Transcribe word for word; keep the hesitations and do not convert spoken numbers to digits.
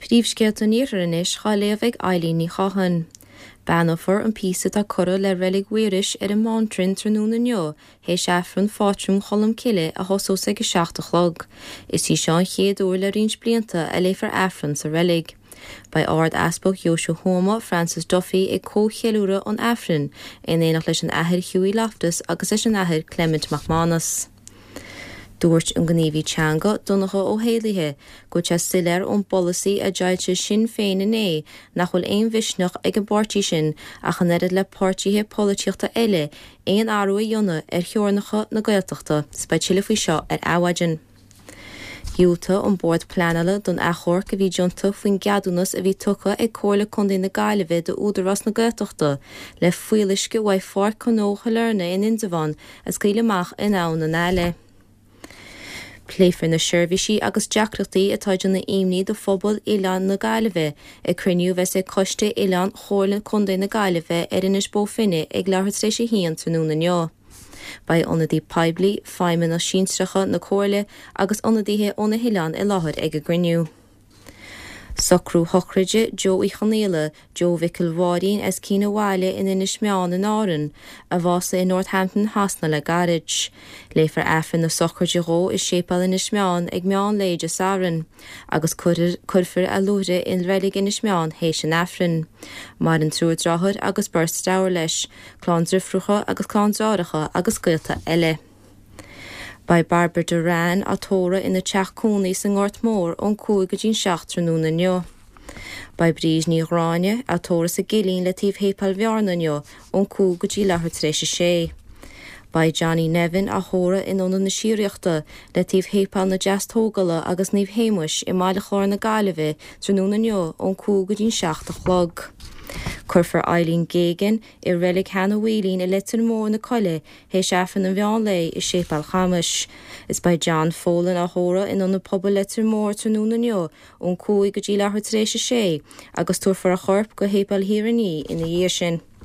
Príomhscéalta an Iarthair anois á léamh ag Eileen Ní Cháthain. Beannófar an píosa atá curtha le reilig Mhaorais ar an mBántrainn tráthnóna inniu théis Aifreann Phátrún Cholm Cille a thosós ag a seacht a chlog. Is í seo an chéad uair le roinnt blianta a léifear Aifreann sa reilig. Beidh Ard-Easpag Dheoise Thuama Francis Duffy ag comhcheiliúradh an Aifrinn in éineacht leis an Athair Hughie Loftus agus leis an Athair Clement McManus. Dúirt an gníomhaí teanga Donncha Ó hÉallaithe go bhfuil sé soiléir ón bpolasaí a d'fhoilsigh Sinn Féin inné nach bhfuil aon mhisneach ag an bpáirtí sin ach an oiread le páirtithe polaitíochta eile aon athrú a dhéanamh ar theorainneacha na Gaeltachta, 's beidh tuilleadh faoi seo ar Adhmhaidin. Dhiúltaigh an Bord Pleanála don achomharc a bhí déanta faoin gceadúnas a bhí tugtha ag Comhairle Contae na Gaillimhe d'Údarás na Gaeltachta le fuíolluisce uaidh Pháirc Ghnó Shailearna in Indreabhán a scaoileadh amach in Abhainn an Aille. Pléifear na seirbhísí agus deacrachtaí atá ag déanamh imní do phobal Oileán na Gaillimhe ag cruinniú a bheas ag Coiste Oileán Chomhairle Contae na Gaillimhe ar Inis Bó Finne ag leathuair tar éis a haon tráthnóna inniu. Beidh ionadaí poiblí, feidhmeanna sinsearacha na Comhairle agus ionadaithe ó na hoileáin i láthair ag an gcruinniú. Socrú shochraide Joe Uí Chonaola, Joe Mhicil Mháirín as Cinn an Bhaile in Inis Meáin in Árainn, a bhásaigh i Northampton Shasana le gairid. Léifear Aifreann na sochraide dhó i Séipéal Inis Meáin ag meán lae Dé Sathairn, agus cuirfear a luaithre i reilig Inis Meáin théis an Aifrinn. Maireann triúr deartháir agus beirt deirfiúr leis, clann deirfiúracha agus clann deartháireacha agus gaolta eile. Beidh Barbara Duran á tórramh ina teach cónaí sa nGort Mór ón cúig go dtí an seacht tráthnóna inniu. Beidh Bríd Ní Ghráinne á tórramh sa gCillín le taobh Shéipéal Bhearna inniu ón cúig go dtí leathuair tar éis a sé. Beidh Johnny Nevin á thórramh in Ionad na Síoraíochta le taobh Shéipéal na Deastógála agus Naomh Shéamuis i mBaile Chláir na Gaillimhe tráthnóna inniu ón cúig go dtí an seacht a chlog. Cuirfear Eileen Geoghegan i reilig Sheanadh Mhaoilín i Leitir Móir na Coille théis Aifreann an mheán lae i Séipéal Chamais. Is beidh John Folan á thórramh in Ionad Pobail Leitir Móir tráthnóna inniu ón cúig go dtí leathuair tar éis a sé agus tabharfar a chorp go Shéipéal Thír an Fhia ina dhiaidh sin.